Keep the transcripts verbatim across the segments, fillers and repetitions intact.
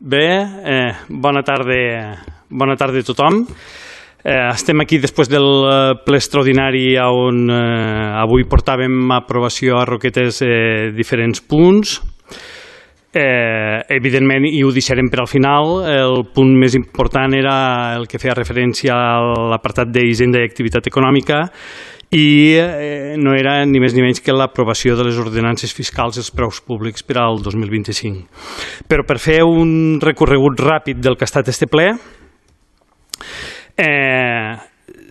Bé, eh, bona tarda, bona tarda a tothom. Eh, estem aquí després del ple extraordinari on eh, avui portàvem a aprovació a Roquetes eh, diferents punts. Eh, evidentment, i ho deixarem per al final, el punt més important era el que feia referència a l'apartat d'Hisenda i Activitat Econòmica i eh, no era ni més ni menys que l'aprovació de les ordenances fiscals i els preus públics per al dos mil vint-i-cinc. Però per fer un recorregut ràpid del que ha estat este ple, eh,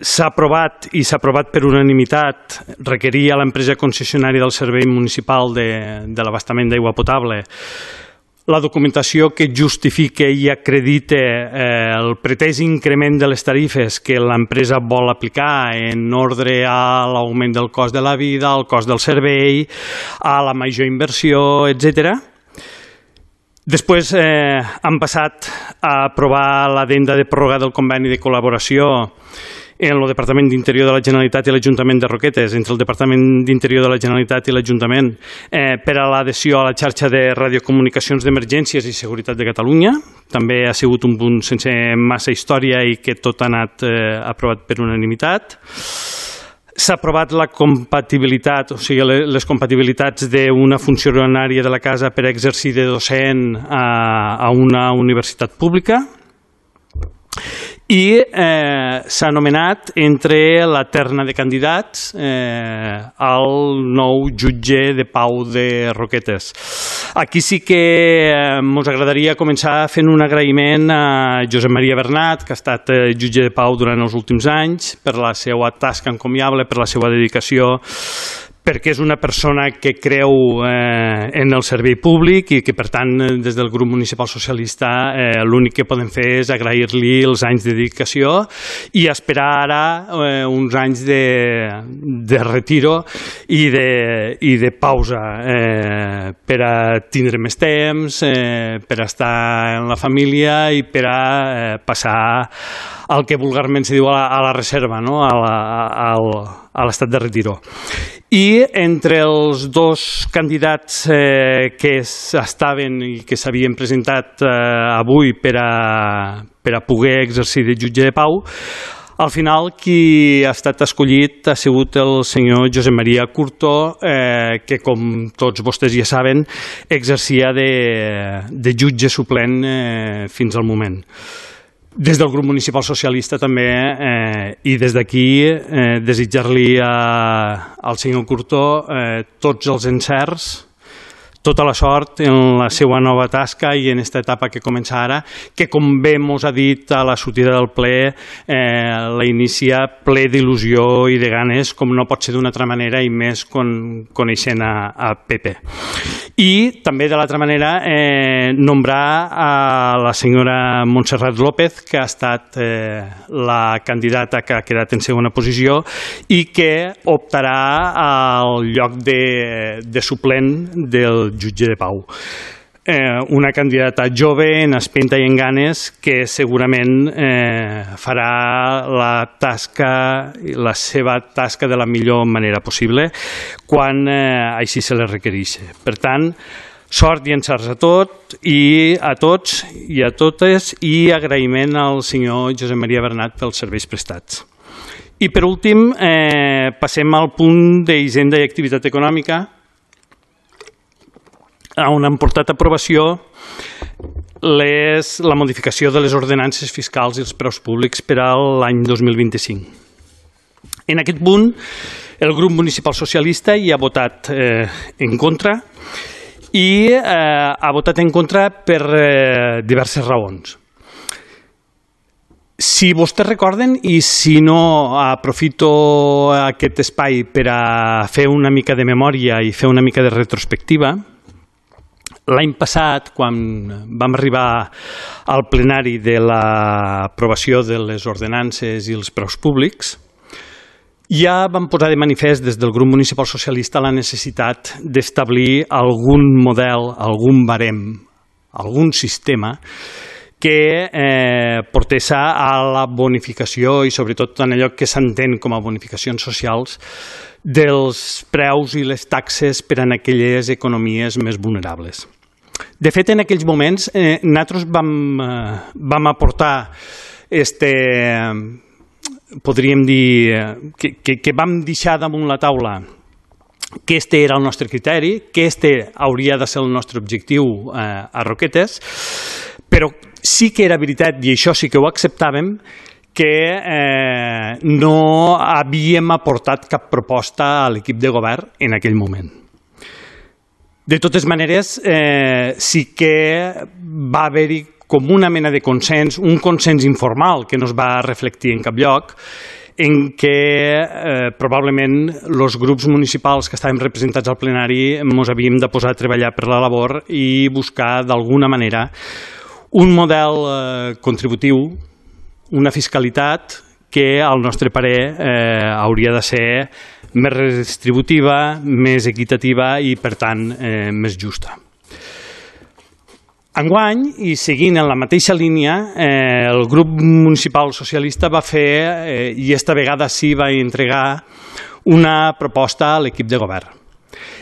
s'ha aprovat i s'ha aprovat per unanimitat requerir a l'empresa concessionària del servei municipal de, de l'abastament d'aigua potable la documentació que justifique i acredite eh, el pretès increment de les tarifes que l'empresa vol aplicar en ordre a l'augment del cost de la vida, al cost del servei, a la major inversió, etcètera. Després eh, han passat a aprovar l'addenda de pròrroga del conveni de col·laboració en el Departament d'Interior de la Generalitat i l'Ajuntament de Roquetes, entre el Departament d'Interior de la Generalitat i l'Ajuntament, eh, per a l'adhesió a la xarxa de radiocomunicacions d'emergències i seguretat de Catalunya. També ha sigut un punt sense massa història i que tot ha anat eh, aprovat per unanimitat. S'ha aprovat la compatibilitat, o sigui, les compatibilitats d'una funcionària de la casa per exercir de docent a, a una universitat pública. I eh, s'ha nomenat entre la terna de candidats eh, al nou jutge de pau de Roquetes. Aquí sí que ens eh, agradaria començar fent un agraïment a Josep Maria Bernat, que ha estat eh, jutge de pau durant els últims anys, per la seva tasca encomiable, per la seva dedicació, perquè és una persona que creu eh, en el servei públic i que, per tant, des del grup municipal socialista eh, l'únic que podem fer és agrair-li els anys de dedicació i esperar ara eh, uns anys de, de retiro i de, i de pausa eh, per a tindre més temps, eh, per a estar en la família i per a eh, passar el que vulgarment se diu a la, a la reserva, no? a la, a, a l'estat de retiro. I entre els dos candidats eh, que estaven i que s'havien presentat eh, avui per a, per a poder exercir de jutge de pau, al final qui ha estat escollit ha sigut el senyor Josep Maria Curto, eh, que com tots vostès ja saben exercia de, de jutge suplent eh, fins al moment. Des del grup municipal socialista també eh, i des d'aquí eh, desitjar-li al senyor Curto eh, tots els encerts, tota la sort en la seva nova tasca i en aquesta etapa que comença ara, que com bé mos ha dit a la sortida del ple, eh, la inicia ple d'il·lusió i de ganes, com no pot ser d'una altra manera i més con, coneixent a, a Pepe. I també de l'altra manera eh, nombrar a la senyora Montserrat López, que ha estat eh, la candidata que ha quedat en segona posició i que optarà al lloc de, de suplent del jutge de pau. Eh, una candidata jove, en espenta i en ganes, que segurament eh, farà la tasca, la seva tasca de la millor manera possible quan eh, així se li requereix. Per tant, sort i encerts a tot i a tots i a totes i agraïment al senyor Josep Maria Bernat pels serveis prestats. I per últim, eh, passem al punt d'Hisenda i Activitat Econòmica, on han portat a aprovació les, la modificació de les ordenances fiscals i els preus públics per a l'any dos mil vint-i-cinc. En aquest punt, el grup municipal socialista hi ha votat eh, en contra i eh, ha votat en contra per eh, diverses raons. Si vostès recorden, i si no, aprofito aquest espai per a fer una mica de memòria i fer una mica de retrospectiva. L'any passat, quan vam arribar al plenari de l'aprovació de les ordenances i els preus públics, ja vam posar de manifest des del grup municipal socialista la necessitat d'establir algun model, algun barem, algun sistema que eh, portés a la bonificació i sobretot en allò que s'entén com a bonificacions socials dels preus i les taxes per a aquelles economies més vulnerables. De fet, en aquells moments, eh, nosaltres vam, eh, vam aportar, este, podríem dir, que, que, que vam deixar damunt la taula que este era el nostre criteri, que este hauria de ser el nostre objectiu eh, a Roquetes, però sí que era veritat, i això sí que ho acceptàvem, que eh, no havíem aportat cap proposta a l'equip de govern en aquell moment. De totes maneres, eh, sí que va haver-hi com una mena de consens, un consens informal que no es va reflectir en cap lloc, en què eh, probablement els grups municipals que estàvem representats al plenari ens havíem de posar a treballar per la labor i buscar d'alguna manera un model eh, contributiu, una fiscalitat que al nostre parer eh, hauria de ser més redistributiva, més equitativa i per tant eh, més justa. Enguany, i seguint en la mateixa línia, eh, el grup municipal socialista va fer, eh, i esta vegada sí va entregar, una proposta a l'equip de govern.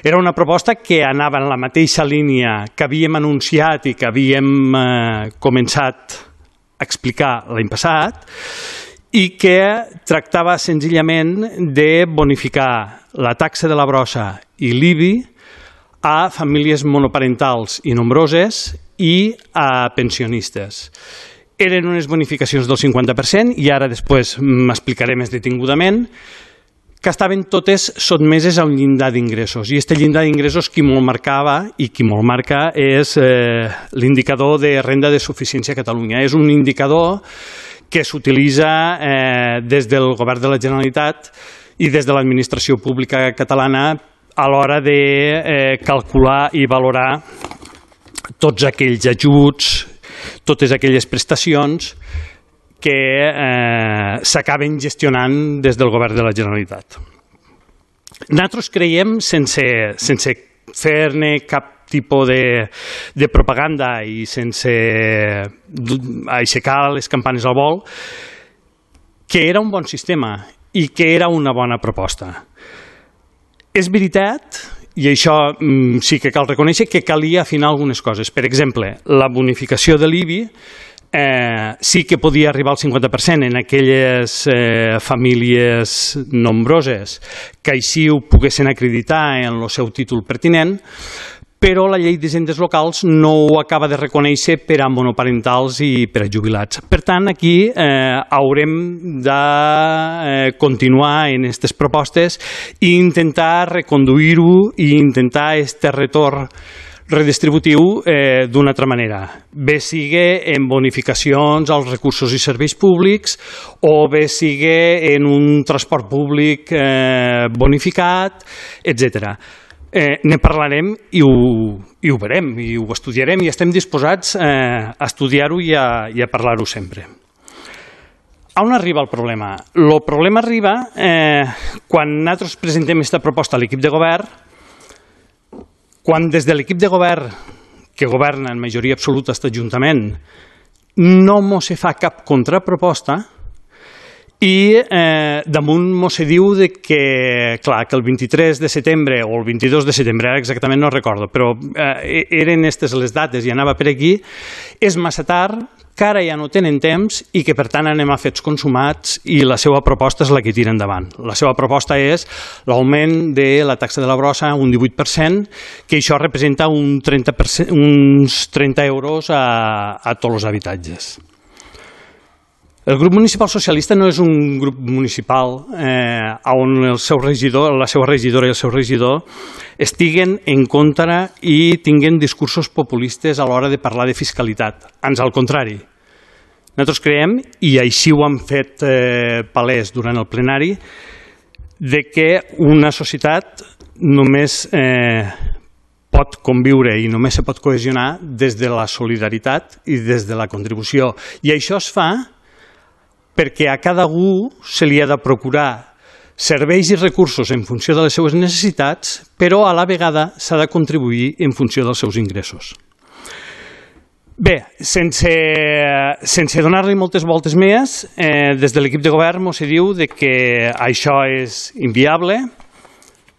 Era una proposta que anava en la mateixa línia que havíem anunciat i que havíem eh, començat a explicar l'any passat i que tractava senzillament de bonificar la taxa de la brossa i l'I B I a famílies monoparentals i nombroses i a pensionistes. Eren unes bonificacions del cinquanta per cent i ara després m'explicaré més detingudament, que estaven totes sotmeses a un llindar d'ingressos. I aquest llindar d'ingressos qui molt marcava i qui molt marca és eh, l'indicador de renda de suficiència a Catalunya. És un indicador que s'utilitza eh, des del govern de la Generalitat i des de l'administració pública catalana a l'hora de eh, calcular i valorar tots aquells ajuts, totes aquelles prestacions que eh, s'acaben gestionant des del govern de la Generalitat. Nosaltres creiem, sense, sense fer-ne cap tipus de, de propaganda i sense aixecar les campanes al vol, que era un bon sistema i que era una bona proposta. És veritat, i això mm, sí que cal reconèixer, que calia afinar algunes coses. Per exemple, la bonificació de l'I B I eh, sí que podia arribar al cinquanta per cent en aquelles eh, famílies nombroses que així ho poguessin acreditar en el seu títol pertinent, però la llei d'hisendes locals no ho acaba de reconèixer per a monoparentals i per a jubilats. Per tant, aquí eh, haurem de eh, continuar en aquestes propostes i intentar reconduir-ho i intentar aquest retorn redistributiu eh, d'una altra manera. Bé sigue en bonificacions als recursos i serveis públics o bé sigue en un transport públic eh, bonificat, etcètera. Eh, ne parlarem i ho, i ho verem, i ho estudiarem i estem disposats eh, a estudiar-ho i a, i a parlar-ho sempre. On arriba el problema? El problema arriba eh, quan nosaltres presentem aquesta proposta a l'equip de govern, quan des de l'equip de govern, que governa en majoria absoluta aquest Ajuntament, no mos se fa cap contraproposta, i eh, damunt mos se diu de que, clar, que el vint-i-tres de setembre o el vint-i-dos de setembre, ara exactament no recordo, però eh, eren aquestes les dates i anava per aquí, és massa tard, que ara ja no tenen temps i que per tant anem a fets consumats i la seva proposta és la que tira endavant. La seva proposta és l'augment de la taxa de la brossa un divuit per cent, que això representa un trenta per cent, uns trenta euros a, a tots els habitatges. El grup municipal socialista no és un grup municipal eh, on el seu regidor, la seva regidora i el seu regidor estiguen en contra i tinguen discursos populistes a l'hora de parlar de fiscalitat. Ans al contrari. Nosaltres creiem, i així ho hem fet eh, palès durant el plenari, de que una societat només eh, pot conviure i només se pot cohesionar des de la solidaritat i des de la contribució. I això es fa perquè a cada algú se li ha de procurar serveis i recursos en funció de les seues necessitats, però a la vegada s'ha de contribuir en funció dels seus ingressos. Bé, sense, sense donar-li moltes voltes més, eh, des de l'equip de govern mos se diu de que això és inviable,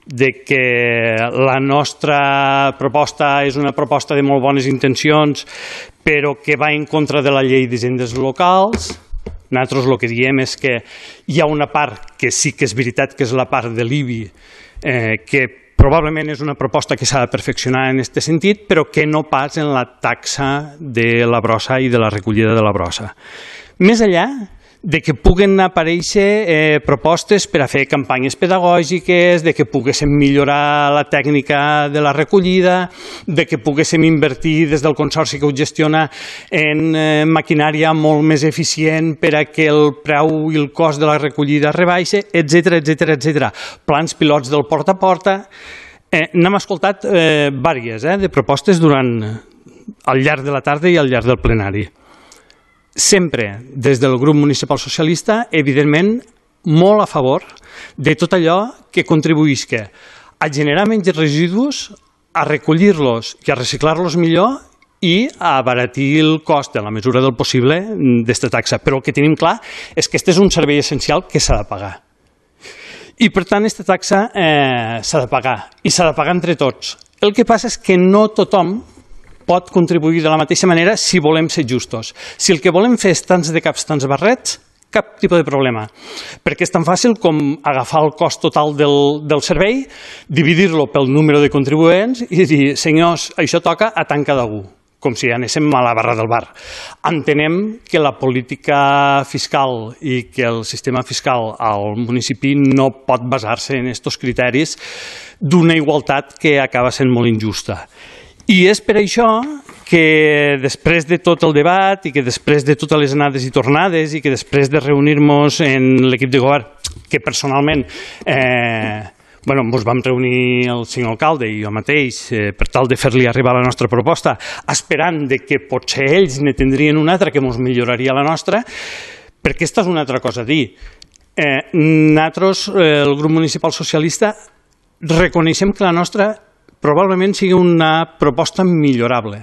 de que la nostra proposta és una proposta de molt bones intencions, però que va en contra de la llei d'hisendes locals. Nosaltres el que diem és que hi ha una part que sí que és veritat que és la part de l'I B I, eh, que probablement és una proposta que s'ha de perfeccionar en aquest sentit, però que no pas en la taxa de la brossa i de la recollida de la brossa. Més enllà de que puguen aparèixer eh, propostes per a fer campanyes pedagògiques, de que poguéssim millorar la tècnica de la recollida, de que poguéssim invertir des del consorci que ho gestiona en eh, maquinària molt més eficient per a que el preu i el cost de la recollida rebaixe, etcètera, etcètera, etcètera. Plans pilots del porta a porta. Eh, N'hem escoltat eh, diverses eh, de propostes durant al llarg de la tarda i al llarg del plenari. Sempre, des del grup municipal socialista, evidentment, molt a favor de tot allò que contribuïsca a generar menys residus, a recollir-los i a reciclar-los millor i a abaratir el cost, en la mesura del possible, d'esta taxa. Però el que tenim clar és que aquest és un servei essencial que s'ha de pagar. I, per tant, aquesta taxa eh, s'ha de pagar, i s'ha de pagar entre tots. El que passa és que no tothom pot contribuir de la mateixa manera si volem ser justos. Si el que volem fer és tants de caps, tants barrets, cap tipus de problema. Perquè és tan fàcil com agafar el cost total del, del servei, dividir-lo pel número de contribuents i dir, senyors, això toca a tant cada un, com si anéssim a la barra del bar. Entenem que la política fiscal i que el sistema fiscal al municipi no pot basar-se en aquests criteris d'una igualtat que acaba sent molt injusta. I és per això que després de tot el debat i que després de totes les anades i tornades i que després de reunir-nos en l'equip de govern, que personalment eh, bueno, ens vam reunir el senyor alcalde i jo mateix eh, per tal de fer-li arribar la nostra proposta, esperant de que potser ells ne tindrien una altra que ens milloraria la nostra, perquè aquesta és una altra cosa a dir. Eh, nosaltres, eh, el grup municipal socialista, reconeixem que la nostra probablement sigui una proposta millorable.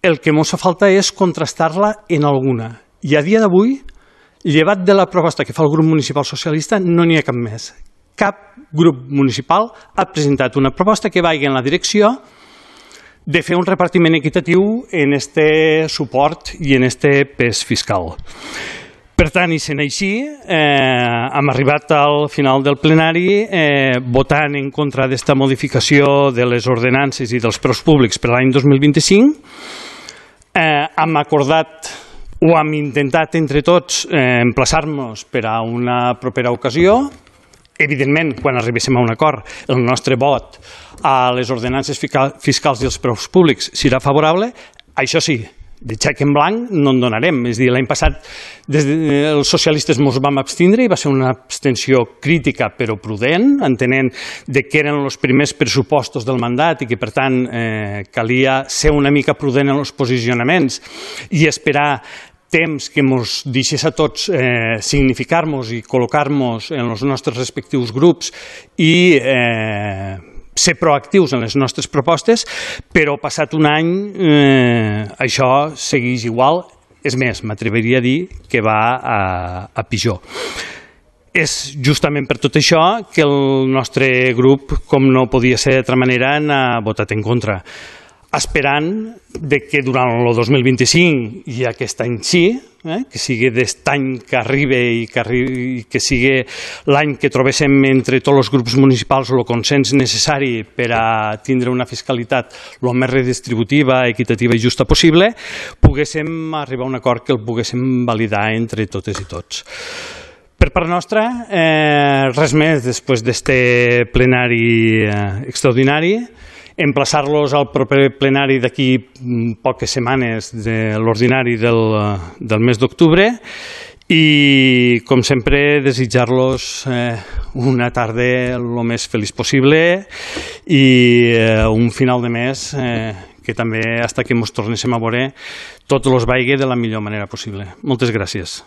El que ens fa falta és contrastar-la en alguna. I a dia d'avui, llevat de la proposta que fa el grup municipal socialista, no n'hi ha cap més. Cap grup municipal ha presentat una proposta que vagi en la direcció de fer un repartiment equitatiu en este suport i en este pes fiscal. Per tant, i sent així, eh, hem arribat al final del plenari eh, votant en contra d'esta modificació de les ordenances i dels preus públics per l'any dos mil vint-i-cinc. Eh, hem acordat o hem intentat entre tots eh, emplaçar-nos per a una propera ocasió. Evidentment, quan arribéssim a un acord, el nostre vot a les ordenances fiscals i els preus públics serà favorable. Això sí, de xec en blanc no en donarem. És a dir, l'any passat des de, els socialistes ens vam abstindre i va ser una abstenció crítica però prudent, entenent de que eren els primers pressupostos del mandat i que, per tant, eh, calia ser una mica prudent en els posicionaments i esperar temps que ens deixés a tots eh, significar-nos i col·locar-nos en els nostres respectius grups i eh, ser proactius en les nostres propostes, però passat un any eh, això segueix igual. És més, m'atreviria a dir que va a, a pitjor. És justament per tot això que el nostre grup, com no podia ser d'altra manera, n'ha votat en contra, esperant de que durant el dos mil vint-i-cinc i aquest any sí, eh, que sigui d'aquest any que arriba i que, arribi, que sigui l'any que trobéssim entre tots els grups municipals el consens necessari per a tindre una fiscalitat el més redistributiva, equitativa i justa possible, poguéssim arribar a un acord que el poguéssim validar entre totes i tots. Per part nostra, eh, res més després d'este plenari eh, extraordinari. Emplaçar-los al proper plenari d'aquí poques setmanes de l'ordinari del, del mes d'octubre i, com sempre, desitjar-los eh, una tarda el més feliç possible i eh, un final de mes eh, que també, fins que ens tornéssim a veure, tot els vagi de la millor manera possible. Moltes gràcies.